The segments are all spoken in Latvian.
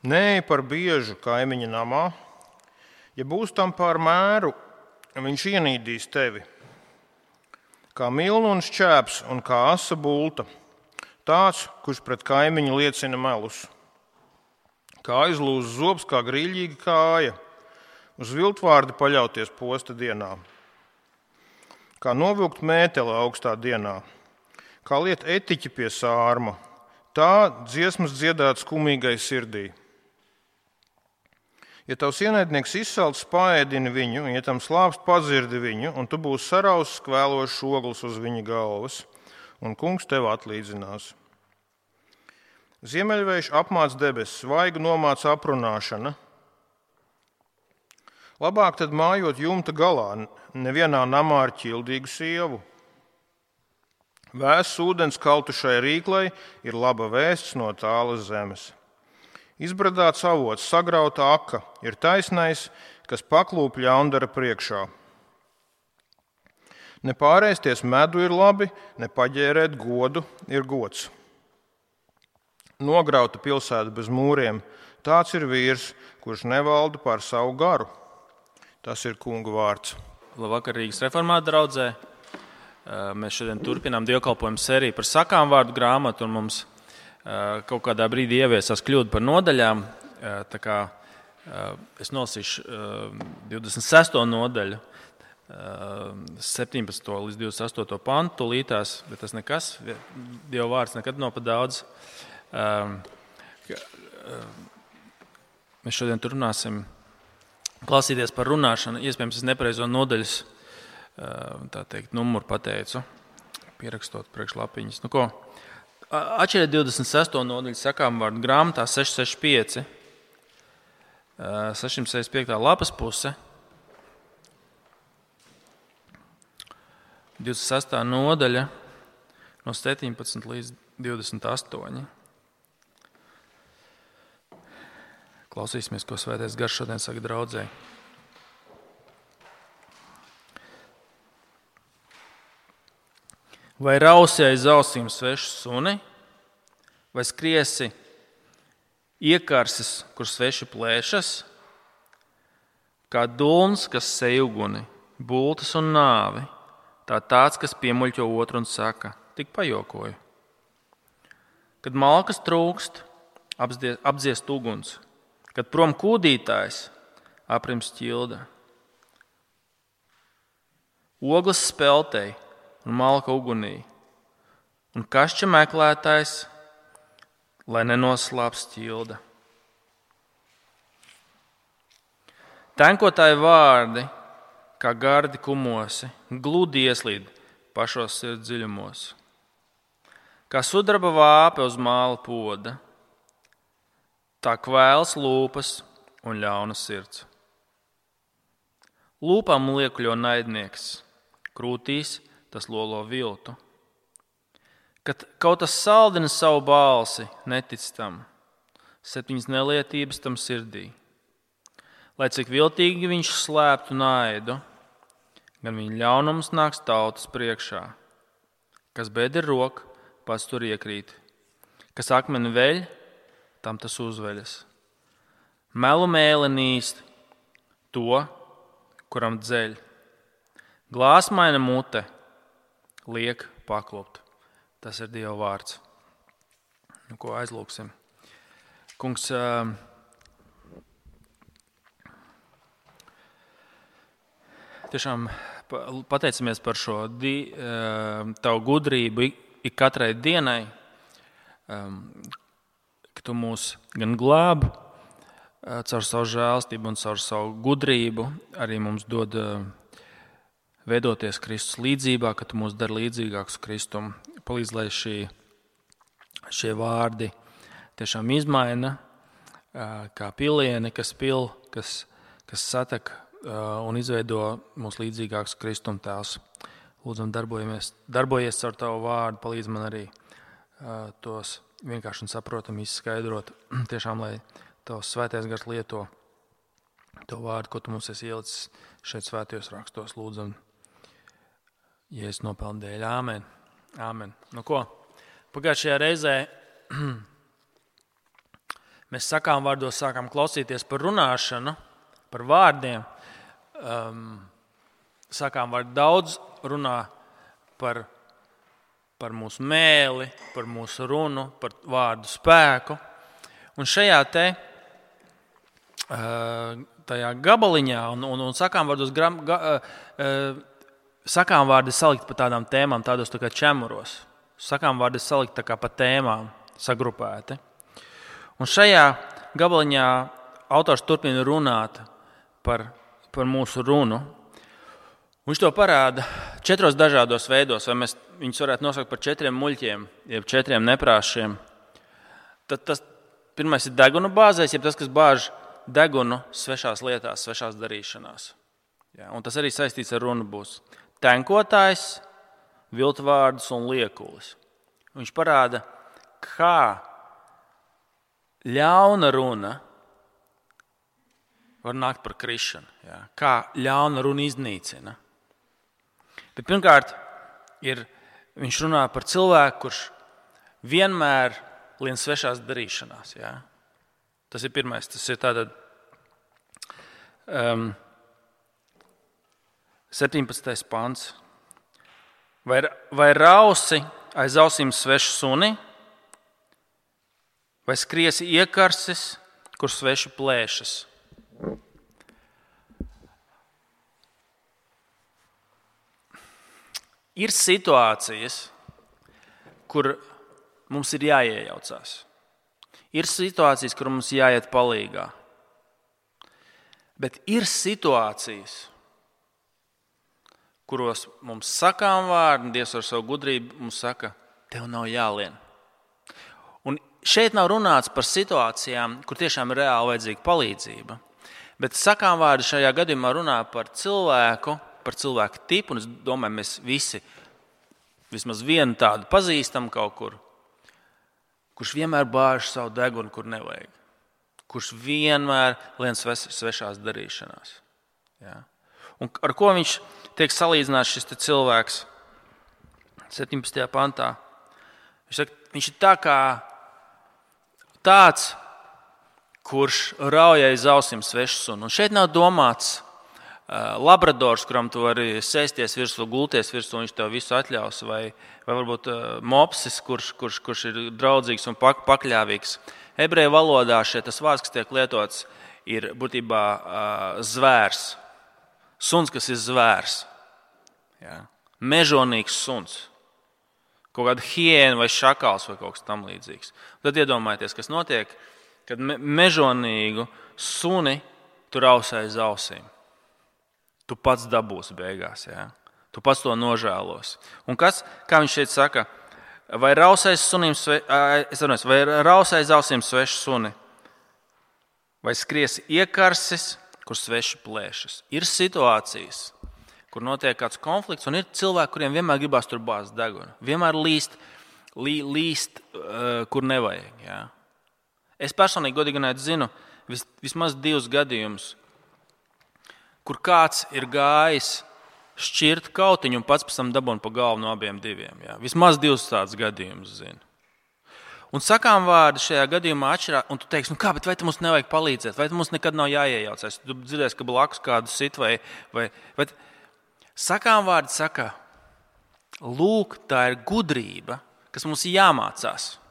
Neej par biežu kaimiņa namā. Ja būs tam pār mēru, viņš ienīdīs tevi. Kā milnu un šķēps un kā asa bulta, tāds, kurš pret kaimiņu liecina melus. Kā aizlūz zobs, kā grīļīga kāja, uz viltvārdi paļauties posta dienā. Kā novilkt mēteli augstā dienā, kā liet etiķi pie sārma, tā dziesmas dziedāt skumīgai sirdī. Ja tavs ienaidnieks izsalts, paēdini viņu, un ja tam slāpst, padzirdi viņu, un tu būsi sarausis kvēlošs ogles uz viņa galvas, un kungs tev atlīdzinās. Ziemeļvējš apmāc debesis, svaigu nomāc aprunāšana. Labāk tad mājot jumta galā, nevienā namā ar ķildīgu sievu. Vēss ūdens kaltušai rīklei ir laba vēsts no tālas zemes. Izbradāts avots, sagrauta aka ir taisnais, kas paklūp ļaundara priekšā. Ne pārēsties medu ir labi, ne paģērēt godu ir gods. Nograuta pilsēta bez mūriem, tāds ir vīrs, kurš nevalda pār savu garu. Tas ir kunga vārds. Labvakar, Rīgas reformāta draudzē. Mēs šodien turpinām dievkalpojumu sēriju par sakām vārdu grāmatu, un mums kaut kādā brīdī ieviesās kļūda par nodaļām. Tā kā es nolasīšu 26. nodaļu, 17. līdz 28. pantu tūlītās, bet tas nekas, Dieva vārds nekad nav pa daudz. Mēs šodien turpināsim klausīties par runāšanu. Iespējams, es nepareizo nodaļas tā teikt, numuru pateicu, pierakstot priekšlapiņas. Nu ko, atšķiriet 26. nodaļu sakām vārdu grāmatā 665, 665. lapas puse, 26. nodaļa no 17 līdz 28. Klausīsimies, ko Svētais Gars šodien saka draudzei. Vai rausi aiz ausīm svešu suni, vai skriesi iekarsis, kur sveši plēšas, kā dulns, kas sej uguni, bultas un nāvi, tā tāds, kas piemuļķo otru un saka, tik pajokoju. Kad malkas trūkst, apdziest uguns, kad prom kūdītājs, aprims ķilda. Ogles speltei un malka ugunī, un kašķa meklētājs, lai nenoslāps ķilda. Tenkotāji vārdi, kā gardi kumosi, gludi ieslīd pašos sirds dziļumos. Kā sudraba vāpe uz māla poda, tā kvēls lūpas un ļauna sirds. Lūpām liekļo naidnieks, krūtīs tas lolo viltu. Kad kaut kas saldina savu balsi, netic tam, 7 nelietības tam sirdī. Lai cik viltīgi viņš slēptu naidu, gan viņa ļaunums nāks tautas priekšā. Kas bēd ir roka, pats tur iekrīt. Kas akmeni veļ, tam tas uzveļas. Melu mēle nīst to, kuram dzeļ. Glāsmaina mute liek paklupt. Tas ir Dieva vārds. Nu, ko aizlūksim? Kungs, tiešām pateicamies par šo tavu gudrību ik katrai dienai, ka tu mūs gan glābi caur savu žēlstību un caur savu gudrību, arī mums dod veidoties Kristus līdzībā, ka tu mūs dari līdzīgākus Kristum. Palīdz, lai šie vārdi tiešām izmaina, kā pilieni, kas satek un izveido mūs līdzīgākus Kristum tēls. Lūdzam, darbojies caur tavu vārdu, palīdz man arī tos vienkārši un saprotami izskaidrot. Tiešām, lai tavs Svētais Gars lieto to vārdu, ko tu mums esi ielicis šeit svētajos rakstos. Lūdzam, Jēzus nopelna dēļ. Āmen. Āmen. Nu ko? Pagājušajā reizē mēs sakām vārdos sākam klausīties par runāšanu, par vārdiem. Sakām vārdu daudz runā par mūsu mēli, par mūsu runu, par vārdu spēku. Un šajā tajā gabaliņā un sakām vārdos sakām vārdi salikt pa tādām tēmām, tādos tā kā čemuros. Sakām vārdi salikt tā kā pa tēmām sagrupēti. Un šajā gabaliņā autors turpina runāt par mūsu runu. Viņš to parāda 4 dažādos veidos, vai mēs viņus varētu nosaukt par 4 muļķiem, jeb 4 neprāšiem. Tad tas pirmais ir deguna bāzēs, jeb tas, kas bāž degunu svešās lietās, svešās darīšanās. Ja, un tas arī saistīts ar runu būs. Tenkotājs, viltvārdus un liekulis. Viņš parāda, kā ļauna runa var nākt par krišanu. Ja, kā ļauna runa iznīcina. Bet pirmkārt, viņš runā par cilvēku, kurš vienmēr lien svešās darīšanās. Ja? Tas ir pirmais. Tas ir tātad 17. pants. Vai rausi aiz ausīm svešu suni, vai skriesi iekarsis, kur sveši plēšas? Ir situācijas, kur mums ir jāiejaucās. Ir situācijas, kur mums jāiet palīgā. Bet ir situācijas, kuros mums sakām vārdi, Dievs ar savu gudrību mums saka, tev nav jālien. Un šeit nav runāts par situācijām, kur tiešām ir reāli vajadzīga palīdzība. Bet sakām vārdi šajā gadījumā runā par cilvēku tipu, un es domāju, mēs visi vismaz vienu tādu pazīstam kaut kur, kurš vienmēr bāž savu degunu, kur nevajag. Kurš vienmēr lien svešās darīšanās. Ja? Un ar ko viņš tiek salīdzināts šis cilvēks 17. pantā? Viņš ir tāds, kurš rauj aiz ausīm svešu sunu. Un šeit nav domāts labradors, kuram tu vari sēsties virsū, gulties virsū, viņš tev visu atļaus, vai varbūt mopsis, kurš ir draudzīgs un pakļāvīgs. Ebreju valodā tas vārds, kas tiek lietots, ir būtībā zvērs. Suns, kas ir zvērs. Ja? Mežonīgs suns. Kaut kāda hiēna vai šakals vai kaut kas tam līdzīgs. Tad iedomājieties, kas notiek, kad mežonīgu suni tu rausē aiz ausīm. Tu pats dabūsi beigās. Ja? Tu pats to nožēlos. Un kā viņš šeit saka, vai rausē aiz ausīm svešu suni, vai skries iekarsis, kur sveši plēšas. Ir situācijas, kur notiek kāds konflikts, un ir cilvēki, kuriem vienmēr gribās tur bāzt degunu. Vienmēr līst kur nevajag. Ja? Es personīgi godīgi zinu vismaz 2 gadījumus, kur kāds ir gājis šķirt kautiņu un pats pēc tam dabūna pa galvu no abiem diviem. Ja? Vismaz 2 tādus gadījumus zinu. Un sakām vārdi šajā gadījumā atšķirās, un tu teiksi, bet vai mums nevajag palīdzēt, vai mums nekad nav jāiejaucās. Tu dzirdēsi, ka blakus kādu sit vai sakām vārdi saka, lūk, tā ir gudrība, kas mums ir jāmācās.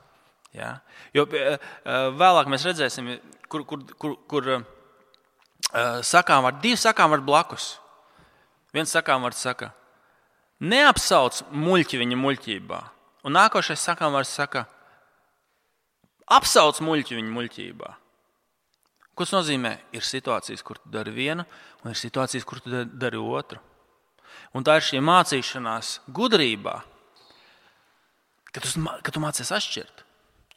Ja? Jo vēlāk mēs redzēsim, kur sakām vārdi, 2 sakām vārdi blakus. Viens sakām vārds saka, neapsauc muļķi viņa muļķībā. Un nākošais sakām vārds saka, apsauc muļķi viņa muļķībā. Ko tas nozīmē? Ir situācijas, kur tu dari vienu, un ir situācijas, kur tu dari otru. Un tā ir šī mācīšanās gudrībā, ka tu mācies atšķirt.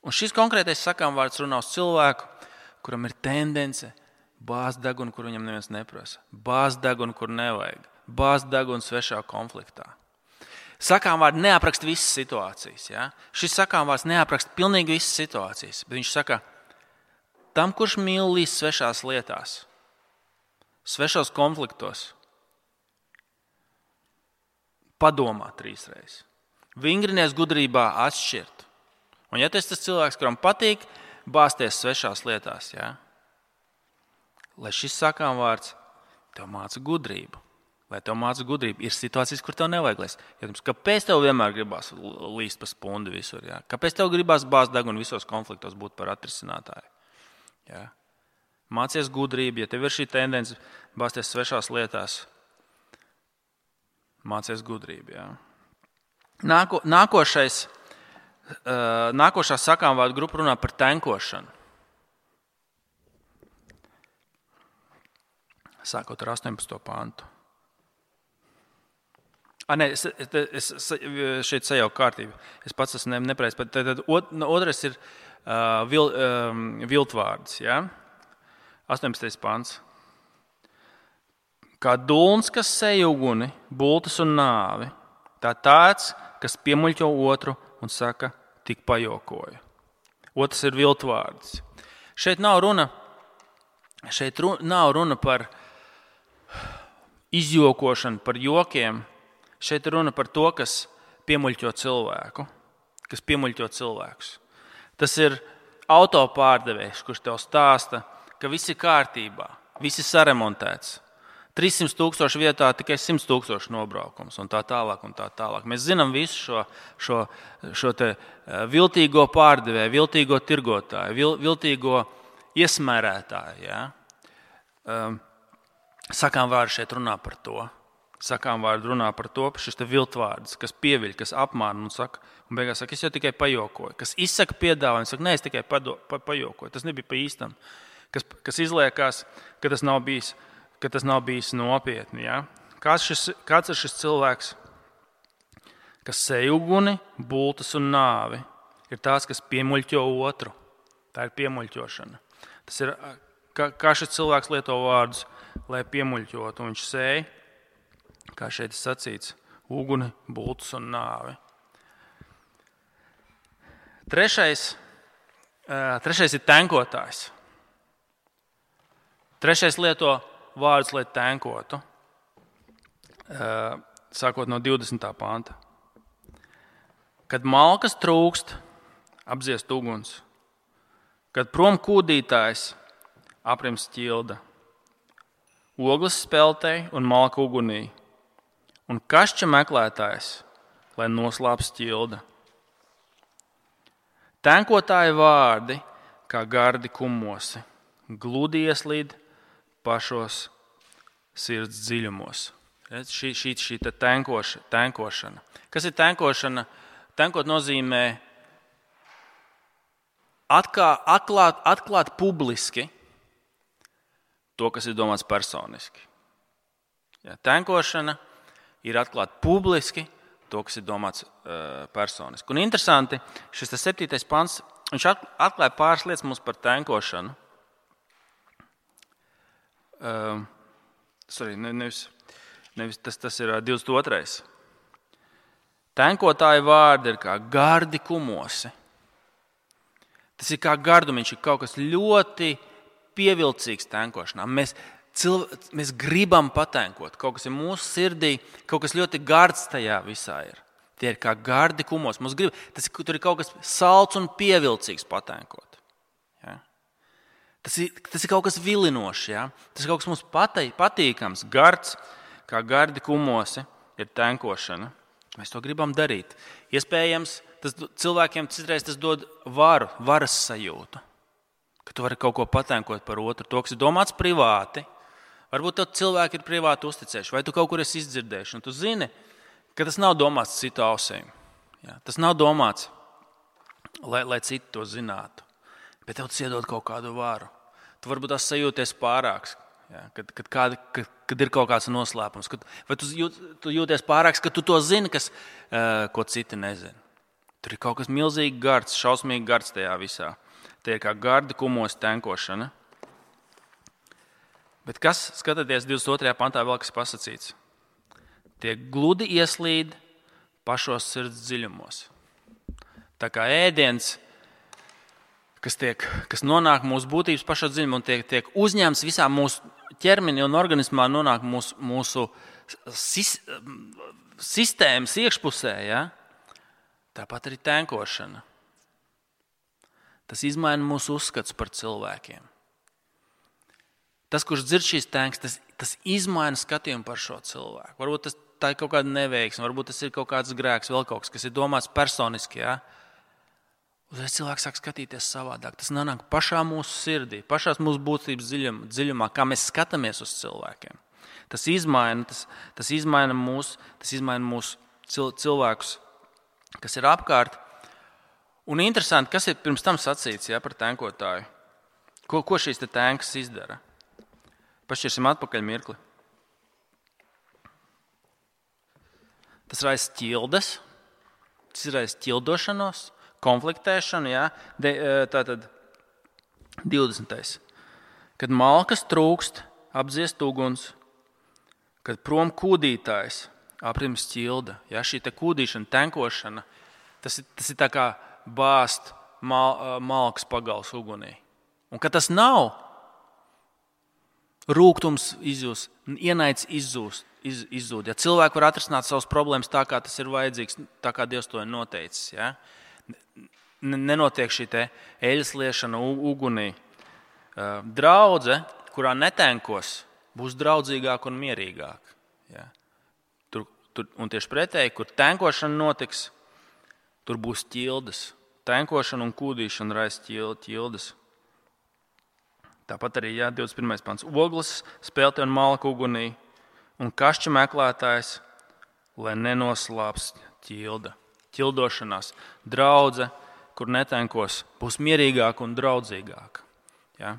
Un šis konkrētais sakām vārds runā uz cilvēku, kuram ir tendence bāzt degunu, kur viņam neviens neprasa. Bāzt degunu, kur nevajag. Bāzt degunu svešā konfliktā. Sakām vārdi neapraksta visas situācijas. Ja? Šis sakām vārds neapraksta pilnīgi visas situācijas. Bet viņš saka, tam, kurš mīl līst svešās lietās, svešos konfliktos, padomā 3 reizes. Vingrinies gudrībā atšķirt. Un ja tas cilvēks, kuram patīk bāzties svešās lietās. Ja? Lai šis sakām vārds tev māca gudrību. Lai tev māca gudrību, ir situācijas, kur tev nevajag lēst. Kāpēc tev vienmēr gribās līst pa spundi visur? Ja? Kāpēc tev gribās bāzt degunu visos konfliktos būt par atrisinātāju? Ja? Mācies gudrību, ja tev ir šī tendence bāzties svešās lietās, mācies gudrību. Ja? Nākošā sakām vārdu grupa runā par tenkošanu. Sākot ar 18. pantu. Es šeit sajauku kārtību. Es pats esmu nepareizs. Tad otrais ir viltvārds. Ja? 18. pants. Kā dulns, kas sej uguni, bultas un nāvi, tā tāds, kas piemuļķo otru un saka, tik pajokoju. Otrs ir viltvārds. Šeit nav runa par izjokošanu, par jokiem. Šeit ir runa par to, kas piemuļķo cilvēku, kas piemuļķo cilvēkus. Tas ir autopārdevējs, kurš tev stāsta, ka viss ir kārtībā, viss ir saremontēts. 300,000 vietā tikai 100,000 nobraukums un tā tālāk. Mēs zinām visu šo te viltīgo pārdevēju, viltīgo tirgotāju, viltīgo iesmērētāju. Ja? Sakām vārdu šeit runā par to. Sakām vārdu runā par to, šis te viltvārds, kas pieviļ, kas apmāna un beigās saka, es jau tikai pajokoju. Kas izsaka piedāvājumu, saka, nē, es tikai pajokoju. Tas nebija pa īstam. Kas izliekās, ka tas nav bijis nopietni. Ja? Kāds ir šis cilvēks, kas sej uguni, bultas un nāvi? Ir tās, kas piemuļķo otru. Tā ir piemuļķošana. Tas ir, kā šis cilvēks lieto vārdus, lai piemuļķotu. Viņš sej, kā šeit ir sacīts, uguni, bultas un nāvi. Trešais ir tenkotājs. Trešais lieto vārdus, lai tenkotu, sākot no 20. panta. Kad malkas trūkst, apdziest uguns. Kad prom kūdītājs, aprims ķilda. Ogles speltei un malka ugunī. Un kašķa meklētājs, lai noslāps ķilda. Tenkotāji vārdi, kā gardi kumosi, gludi ieslīd pašos sirds dziļumos. Šī tenkošana. Kas ir tenkošana? Tenkot nozīmē atklāt publiski to, kas ir domāts personiski. Ja, tenkošana ir atklāt publiski to, kas ir domāts personiski. Un interesanti, šis 7. pants, viņš atklāja pāris lietas mums par tenkošanu. Tas ir 22. Tenkotāji vārdi ir kā gardi kumosi. Tas ir kā gardumiņš, ir kaut kas ļoti pievilcīgs tenkošanā. Mēs gribam patenkot, kaut kas ir mūsu sirdī, kaut kas ļoti gards tajā visā ir. Tie ir kā gardi kumos. Tur ir kaut kas salds un pievilcīgs patenkot. Ja? Tas ir kaut kas vilinošs. Ja? Tas ir kaut kas mums patīkams, gards, kā gardi kumosi ir tenkošana. Mēs to gribam darīt. Iespējams, cilvēkiem citreiz tas dod varas sajūtu. Ka tu vari kaut ko patenkot par otru, to, kas ir domāts privāti. Varbūt tev cilvēki ir privāti uzticējuši, vai tu kaut kur esi izdzirdējuši. Un tu zini, ka tas nav domāts citu ausīm. Ja? Tas nav domāts, lai citi to zinātu. Bet tev tas iedod kaut kādu varu. Tu varbūt tās sajūties pārāks, ja? Kad ir kaut kāds noslēpums. Vai tu jūties pārāks, ka tu to zini, ko citi nezina. Tur ir kaut kas milzīgi gards, šausmīgi gards tajā visā. Tie ir kā gardi kumos tenkošana. Bet kas, skatoties 22. pantā, vēl kas pasacīts? Tie gludi ieslīd pašos sirds dziļumos. Tā kā ēdiens, kas nonāk mūsu būtības pašos dziļumos un tiek uzņemts visā mūsu ķermenī un organismā, nonāk mūsu sistēmas iekšpusē, ja? Tāpat arī tenkošana. tas izmaina mūsu uzskats par cilvēkiem. Tas, kurš dzird šīs tēngas, tas izmaina skatījumu par šo cilvēku. Varbūt tā ir kaut kāda neveiksme, varbūt tas ir kaut kāds grēks, vēl kaut kas ir domāts personiski. Ja? Uzreiz cilvēks sāk skatīties savādāk. Tas nonāk pašā mūsu sirdī, pašās mūsu būtības dziļumā, kā mēs skatāmies uz cilvēkiem. Tas izmaina mūsu cilvēkus, kas ir apkārt. Un interesanti, kas ir pirms tam sacīts par tēnkotāju. Ko šīs tēngas izdara? Pašķirsim atpakaļ mirkli. Tas raisa ķildes, tas raisa ķildošanos, konfliktēšanu. Ja? Tātad 20. Kad malkas trūkst, apdziest uguns, kad prom kūdītājs, aprims ķilda. Ja? Šī kūdīšana, tenkošana, tas ir tā kā bāzt malkas pagals ugunī. Un kad tas nav, rūgtums izzūst, ienaids izzūd. Ja cilvēki var atrisināt savas problēmas tā, kā tas ir vajadzīgs, tā kā Dievs to ir noteicis. Ja? Nenotiek šī eļas liešana ugunī. Draudze, kurā netenkos, būs draudzīgāka un mierīgāka. Ja? Un tieši pretēji, kur tenkošana notiks, tur būs ķildes. Tenkošana un kūdīšana raisa ķildes. Tāpat arī 21. pants. Ogles, spēlte un malka ugunī un kašķa meklētājs, lai nenoslāpst ķilda. Ķildošanās. Draudze, kur netenkos, būs mierīgāka un draudzīgāka. Ja?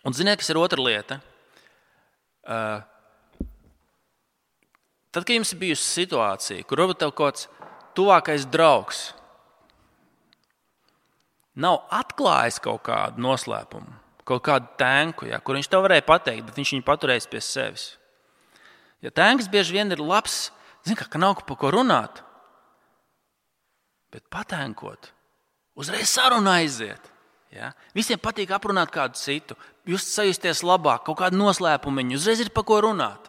Un ziniet, kas ir otra lieta? Tad, kad jums ir bijusi situācija, kur varbūt tev kaut kāds tuvākais draugs nav atklājis kaut kādu noslēpumu, kaut kādu tēnku, ja, kur viņš tev varēja pateikt, bet viņš viņu paturējis pie sevis. Ja tēnks bieži vien ir labs, ka nav par ko runāt, bet patēnkot, uzreiz saruna aiziet. Ja. Visiem patīk aprunāt kādu citu, sajusties labāk, kaut kādu noslēpumiņu, uzreiz ir par ko runāt.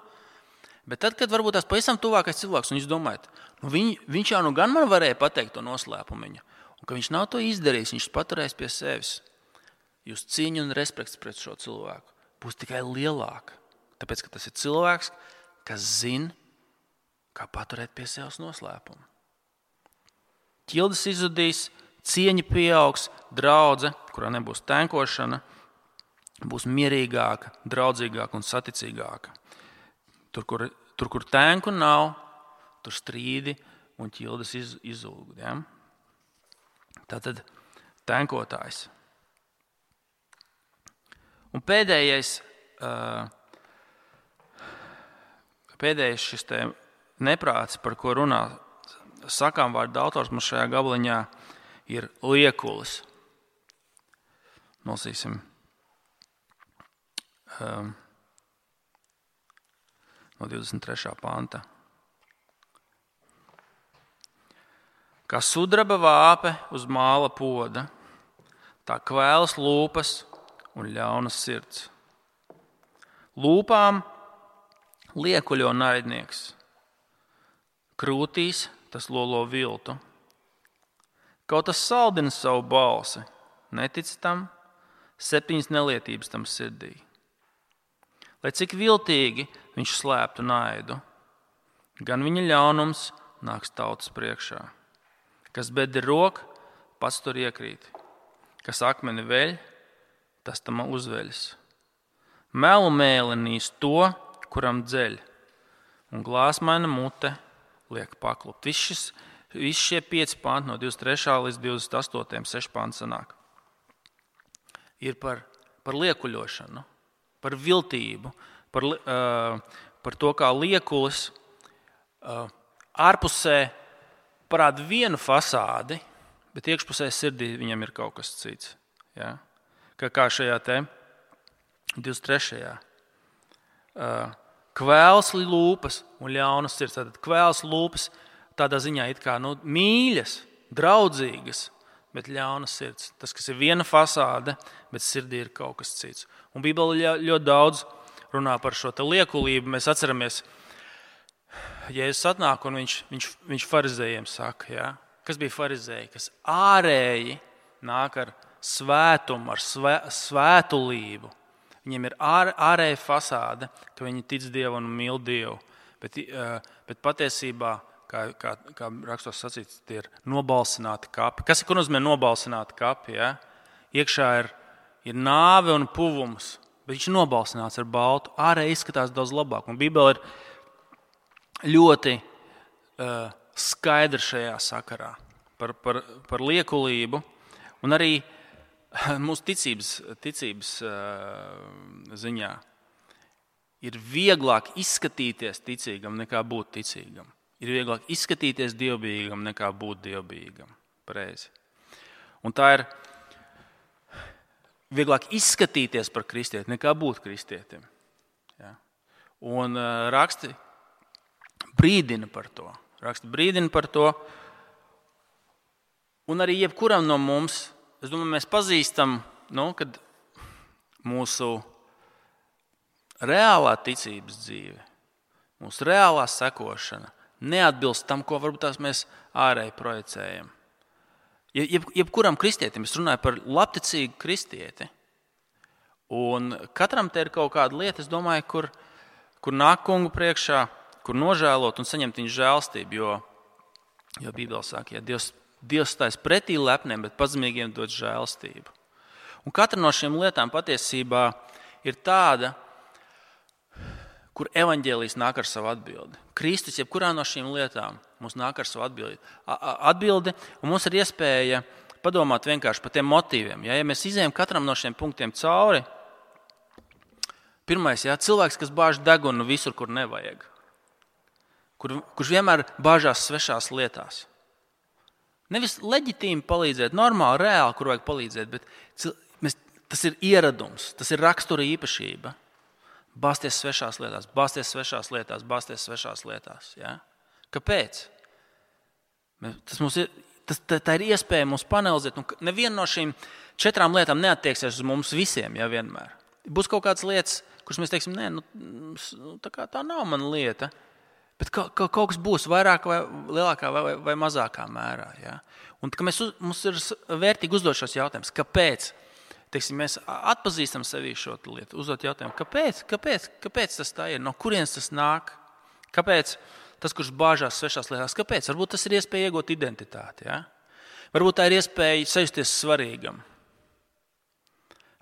Bet tad, kad varbūt tās pavisam tuvākais cilvēks, un jūs domājat, viņš jau gan man varēja pateikt to noslēpumiņu, un ka viņš nav to izdarījis, viņš paturēs pie sevis. Jūs cieņa un respekts pret šo cilvēku būs tikai lielāka. Tāpēc, ka tas ir cilvēks, kas zina, kā paturēt pie sevis noslēpumu. Ķildes izzudīs, cieņa pieaugs, draudze, kurā nebūs tenkošana, būs mierīgāka, draudzīgāka un saticīgāka. Tur, kur tenku nav, tur strīdi un ķildes izzūg. Ja? Tātad tenkotājs. Un pēdējais šis neprāts, par ko runā sakām vārdu autors mums šajā gabaliņā, ir liekulis. Nolasīsim no 23. panta. Kā sudraba vāpe uz māla poda, tā kvēlas lūpas un ļaunas sirds. Lūpām liekuļo naidnieks, krūtīs tas lolo viltu. Kaut tas saldina savu balsi, netic tam, 7 nelietības tam sirdī. Lai cik viltīgi viņš slēptu naidu, gan viņa ļaunums nāks tautas priekšā. Kas bedri rok, pats tur iekrīt. Kas akmeni veļ, tas tam uzveļas. Melu mēlenīs to, kuram dzeļ, un glāsmaina mute liek paklupt. Visi šie 5 panti no 23. līdz 28. 6 panti sanāk. Ir par liekuļošanu, par viltību, par to, kā liekulis ārpusē parāda vienu fasādi, bet iekšpusē sirdī viņam ir kaut kas cits. Ja? Kā šajā 23. Kvēls lūpas un ļaunas sirds. Tātad kvēls lūpas tādā ziņā it kā mīļas, draudzīgas, bet ļaunas sirds. Tas, kas ir viena fasāde, bet sirdī ir kaut kas cits. Un Bībele ļoti daudz runā par šo liekulību. Mēs atceramies, Jēzus atnāk un viņš farizējiem saka, ja? Kas bija farizēji, kas ārēji nāk ar svētumu, ar svētulību. Viņiem ir ārēja fasāde, ka viņi tic Dievu un mīl Dievu. Bet patiesībā, kā rakstos sacīts, tie ir nobalsināti kapi. Kas ir, ko nozīmē nobalsināti kapi? Ja? Iekšā ir nāve un puvums, bet viņš ir nobalsināts ar baltu. Ārēji izskatās daudz labāk. Un Bībele ir ļoti skaidra šajā sakarā par liekulību un arī mūsu ticības ziņā. Ir vieglāk izskatīties ticīgam nekā būt ticīgam. Ir vieglāk izskatīties dievbijīgam nekā būt dievbijīgam. Pareizi. Un tā ir vieglāk izskatīties par kristieti nekā būt kristietim. Ja? Un raksti brīdina par to. Un arī jebkuram no mums, es domāju, mēs pazīstam, kad mūsu reālā ticības dzīve, mūsu reālā sekošana neatbilst tam, ko varbūt mēs ārēji projicējam. Jebkuram kristietim, es runāju par labticīgu kristieti, un katram te ir kaut kāda lieta, es domāju, kur nāk kungu priekšā, kur nožēlot un saņemt viņa žēlstību, jo Bībele saka, ja Dievs stājas pretī lepniem, bet pazemīgiem dod žēlstību. Un katra no šīm lietām patiesībā ir tāda, kur evaņģēlijs nāk ar savu atbildi. Kristus, jebkurā no šīm lietām, mums nāk ar savu atbildi, un mums ir iespēja padomāt vienkārši par tiem motīviem. Ja mēs izējam katram no šiem punktiem cauri, pirmais, cilvēks, kas bāž degunu visur, kur nevajag, kurš vienmēr bāžās svešās lietās. Nevis leģitīmi palīdzēt, normāli, reāli, kur vajag palīdzēt, bet tas ir ieradums, tas ir rakstura īpašība. Bāzties svešās lietās. Ja? Kāpēc? Tā ir iespēja mums panelizēt. Neviena no šīm 4 lietām neattieksies uz mums visiem, ja vienmēr. Būs kaut kādas lietas, kuras mēs teiksim, tā nav mana lieta. Bet kaut kas būs vairāk vai lielākā vai mazākā mērā. Ja? Un mums ir vērtīgi uzdot šos jautājumus. Kāpēc? Teiksim, mēs atpazīstam sevī šo lietu, uzdot jautājumu, kāpēc tas tā ir, no kurienes tas nāk, kāpēc tas, kurš bāžās svešās lietās, kāpēc? Varbūt tas ir iespēja iegūt identitāti. Ja? Varbūt tā ir iespēja sajusties svarīgam.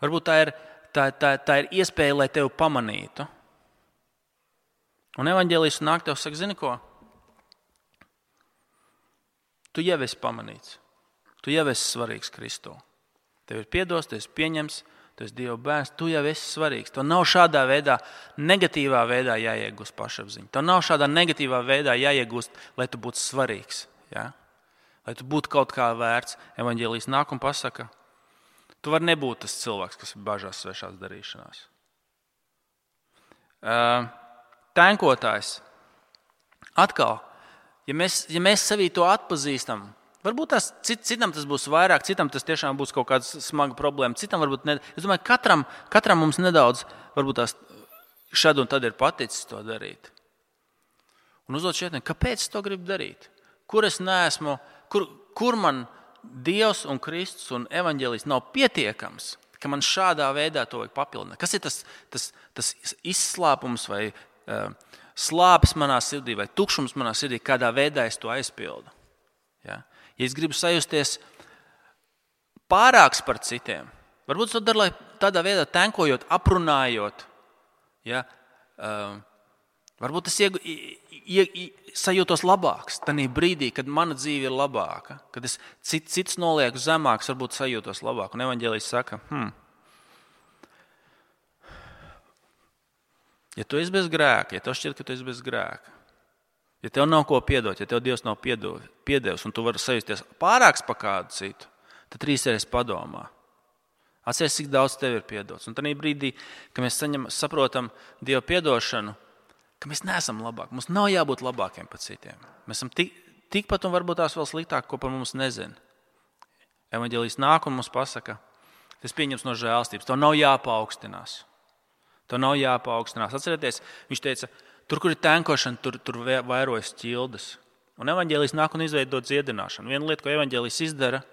Varbūt tā ir iespēja, lai tevi pamanītu. Un evaņģēlijs nāk tev saka, zini ko? Tu jau esi pamanīts. Tu jau esi svarīgs Kristū. Tev ir piedots, tu esi pieņems, tu esi Dieva bērns, tu jau esi svarīgs. Tev nav šādā veidā, negatīvā veidā jāiegūst pašapziņa. Tev nav šādā negatīvā veidā jāiegūst, lai tu būtu svarīgs. Ja? Lai tu būtu kaut kā vērts. Evaņģēlijs nāk un pasaka, tu vari nebūt tas cilvēks, kas bažās svešās darīšanās. Tenkotājs. Atkal, ja mēs sevī to atpazīstam, varbūt citam tas būs vairāk, citam tas tiešām būs kaut kāda smaga problēma, citam varbūt ne. Es domāju, katram mums nedaudz, varbūt tās šad un tad ir paticis to darīt. Un uzdot šeit, kāpēc es to gribu darīt? Kur es neesmu, kur man Dievs un Kristus un evaņģēlijs nav pietiekams, ka man šādā veidā to vajag papildināt? Kas ir tas izslāpums vai slāpes manā sirdī vai tukšums manā sirdī, kādā veidā es to aizpildu? Ja es gribu sajusties pārāks par citiem, varbūt to dara, lai tādā veidā tenkojot, aprunājot, ja, varbūt es sajūtos labāks tanī brīdī, kad mana dzīve ir labāka, kad es cits nolieku zemāks, varbūt sajūtos labāk. Un evaņģēlijs saka, ja tu esi bez grēka, ja tev šķiet, ka tu esi bez grēka, ja tev nav ko piedot, ja tev Dievs nav piedevis un tu vari sajusties pārāks par kādu citu, tad 3 reizes padomā. Atceries, cik daudz tev ir piedots. Un tanī brīdī, kad mēs saprotam Dieva piedošanu, ka mēs neesam labāki. Mums nav jābūt labākiem par citiem. Mēs esam tikpat un varbūt tās vēl sliktāk, ko par mums nezina. Evaņģēlijs nāk un mums pasaka, tas pieņems no žēlstības. To nav jāpaaugstinās. Atcerieties, viņš teica, tur, kur ir tenkošana, tur vairojas ķildes. Un evaņģēlijs nāk un izveido dziedināšanu. Viena lieta, ko evaņģēlijs izdara,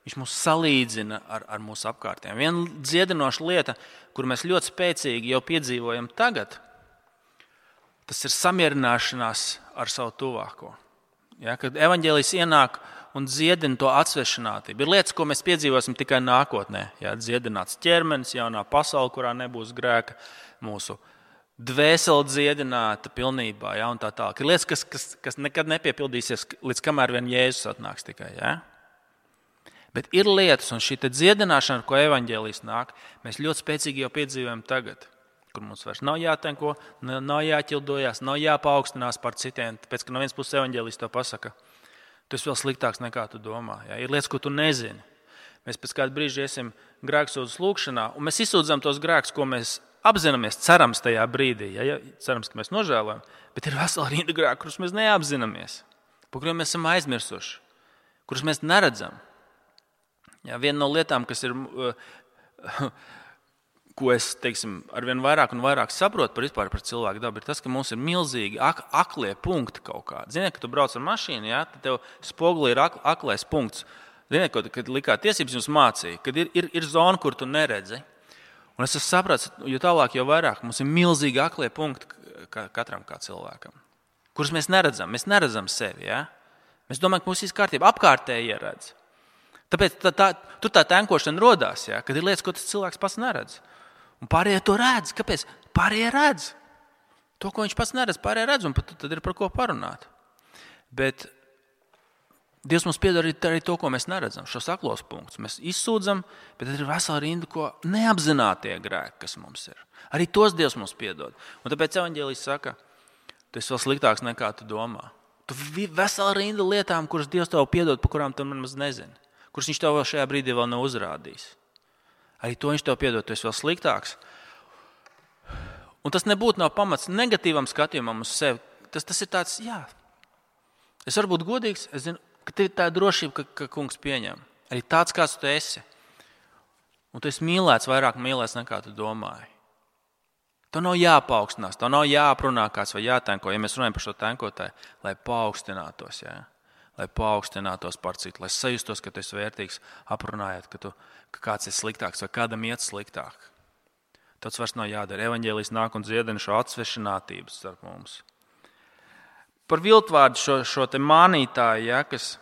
Viņš mūs salīdzina ar mūsu apkārtējiem. Viena dziedinoša lieta, kur mēs ļoti spēcīgi jau piedzīvojam tagad, tas ir samierināšanās ar savu tuvāko. Ja, kad evaņģēlijs ienāk un dziedina to atsvešinātību. Ir lietas, ko mēs piedzīvosim tikai nākotnē. Ja, dziedināts ķermenis, jaunā pasaule, kurā nebūs grēka, mūsu dvēsele dziedināta pilnībā. Ja, un tā tālāk. Ir lietas, kas nekad nepiepildīsies, līdz kamēr vien Jēzus atnāks tikai. Ja. Bet ir lietas, un šī dziedināšana, ar ko evaņģēlijs nāk, mēs ļoti spēcīgi jau piedzīvojam tagad, kur mums vairs nav jātenko, nav jāķildojās, nav jāpaukstinās par citiem, tāpēc, ka no vienas puses evaņģēlijs to pasaka, tu esi vēl sliktāks nekā tu domā. Ja? Ir lietas, ko tu nezini. Mēs pēc kāda brīža iesim grēksūdzes lūgšanā, un mēs izsūdzam tos grēkus, ko mēs apzināmies, cerams tajā brīdī. Ja? Cerams, ka mēs nožēlojam, bet ir vesela rinda grēku, kurus mēs neapzināmies, par kuriem mēs esam aizmirsuši, kurus mēs neredzam. Ja, viena no lietām, kas ir, ko es arvien vairāk un vairāk saprotu par cilvēku dabu, ir tas, ka mums ir milzīgi aklie punkti kaut kādi. Ziniet, ka tu brauc ar mašīnu, ja, tad tev spogulī ir aklais punkts. Ziniet, kad likā tiesības jums mācīja, kad ir zona, kur tu neredzi. Un es sapratu, jo tālāk, jo vairāk mums ir milzīgi aklie punkti katram kā cilvēkam, kurus mēs neredzam. Mēs neredzam sevi. Ja? Mēs domājam, ka mums viss kārtībā apkārtēji ieredz. Tāpēc tur tā tenkošana rodās, ja, kad ir lietas, ko tas cilvēks pats neredz. Un pārējie to redz. Kāpēc? Pārējie redz. To, ko viņš pats neredz, pārējie redz, un tad ir par ko parunāt. Bet Dievs mums piedod arī to, ko mēs neredzam, šos aklos punktus. Mēs izsūdzam, bet tad ir vesela rinda, ko neapzinātie grēki, kas mums ir. Arī tos Dievs mums piedod. Un tāpēc evaņģēlijs saka, tu esi vēl sliktāks nekā tu domā. Tu vesela rinda lietām, kuras Dievs tev piedod, par kurām tu nemaz nezini. Kurus viņš tev šajā brīdī vēl nav uzrādījis. Arī to viņš tev piedod, tu esi vēl sliktāks. Un tas nebūtu nav pamats negatīvam skatījumam uz sevi. Tas ir tāds, jā, es varu būt godīgs, es zinu, ka tev tā ir drošība, ka kungs pieņem. Arī tāds, kāds tu esi. Un tu esi mīlēts, vairāk mīlēts nekā tu domāji. Tev nav jāpaukstinās, tev nav jāaprunā kāds vai jātenko, ja mēs runājam par šo tenkotāju, lai paaugstinātos, jā. Lai paaugstinātos par citu, lai sajustos, ka tu esi vērtīgs, aprunājot, ka kāds ir sliktāks vai kādam iet sliktāk. Tas vairs nav jādara. Evaņģēlijs nāk un dziedina šo atsvešinātību starp mums. Par viltvārdu šo te mānītāju, ja, kas,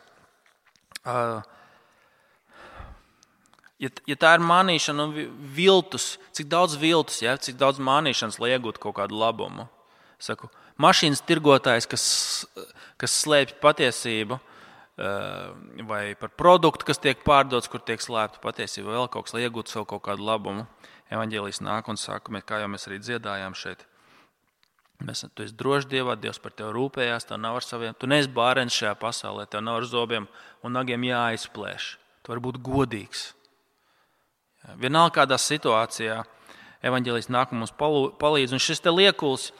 ja tā ir mānīšana un viltus, cik daudz viltus, ja, cik daudz mānīšanas, lai iegūtu kaut kādu labumu. Saku, mašīnas tirgotājs, kas slēpj patiesību, vai par produktu, kas tiek pārdots, kur tiek slēpta patiesība, vēl kaut kas, lai iegūtu sev kaut kādu labumu. Evaņģēlijs nāk un saka, kā jau mēs arī dziedājām šeit. Tu esi drošs Dievā, Dievs par tevi rūpējās, tev nav ar saviem, tu neesi bārens šajā pasaulē, tev nav ar zobiem un nagiem jāizplēš. Tu vari būt godīgs. Vienalga kādā situācijā evaņģēlijs nāk un mums palīdz, un šis te liekuls,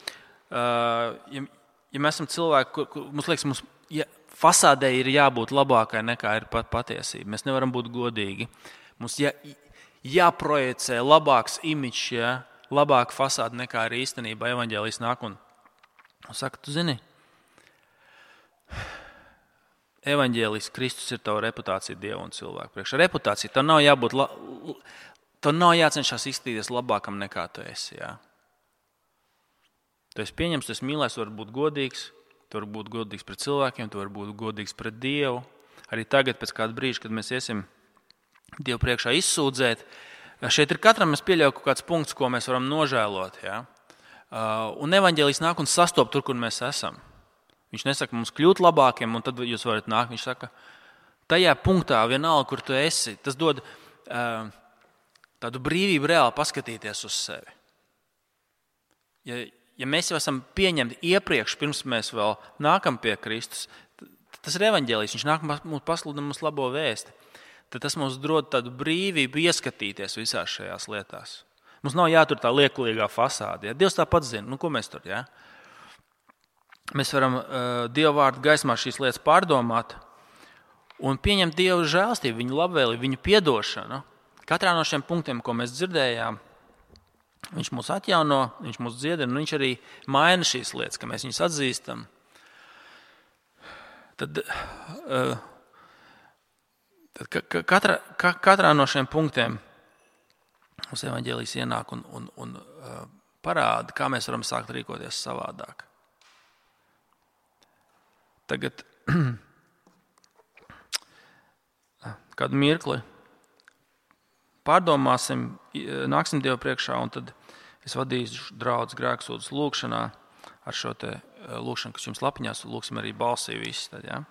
ja mēs esam cilvēki, mums liekas, fasādē ir jābūt labākai nekā ir patiesība. Mēs nevaram būt godīgi. Mums jāprojicē labāks imidžs, ja, labāka fasāde nekā ir īstenībā. Evaņģēlijs nāk un saka, tu zini, evaņģēlijs Kristus ir tava reputācija Dievu un cilvēku priekšā. Reputācija, tev nav jācenšas izskatīties labākam nekā tu esi. Ja. Tu esi pieņems, tu esi mīlēs, tu vari būt godīgs. Tu vari būt godīgs pret cilvēkiem, tu vari būt godīgs pret Dievu. Arī tagad, pēc kāda brīža, kad mēs iesim Dievu priekšā izsūdzēt, šeit ir katram, es pieļauju, kaut kāds punkts, ko mēs varam nožēlot. Ja? Un evaņģēlijs nāk un sastop tur, kur mēs esam. Viņš nesaka mums kļūt labākiem, un tad jūs varat nākt. Viņš saka, tajā punktā vienalga, kur tu esi, tas dod tādu brīvību reāli paskatīties uz sevi. Ja mēs jau esam pieņemti iepriekš, pirms mēs vēl nākam pie Kristus, tas ir evaņģēlijs, viņš nāk mums pasludina mums labo vēsti. Tad tas mums dod tādu brīvību ieskatīties visās šajās lietās. Mums nav jātur tā liekulīgā fasāde. Ja? Dievs tāpat zina, ko mēs tur, ja? Mēs varam Dieva vārdu gaismā šīs lietas pārdomāt un pieņemt Dieva žēlstību, viņu labvēlību, viņu piedošanu. Katrā no šiem punktiem, ko mēs dzirdējām, viņš mūs atjauno, viņš mūs dziedina, un viņš arī maina šīs lietas, ka mēs viņus atzīstam. Tad Tad katrā no šiem punktiem mums evaņģēlijs ienāk un parāda, kā mēs varam sākt rīkoties savādāk. Tagad kādu mirkli pārdomāsim, nāksim Dievu priekšā, un tad es vadīšu draudz grēksūdzes lūkšanā ar šo te lūkšanu, kas jums lapiņās, lūksim arī balsī visi tad, ja?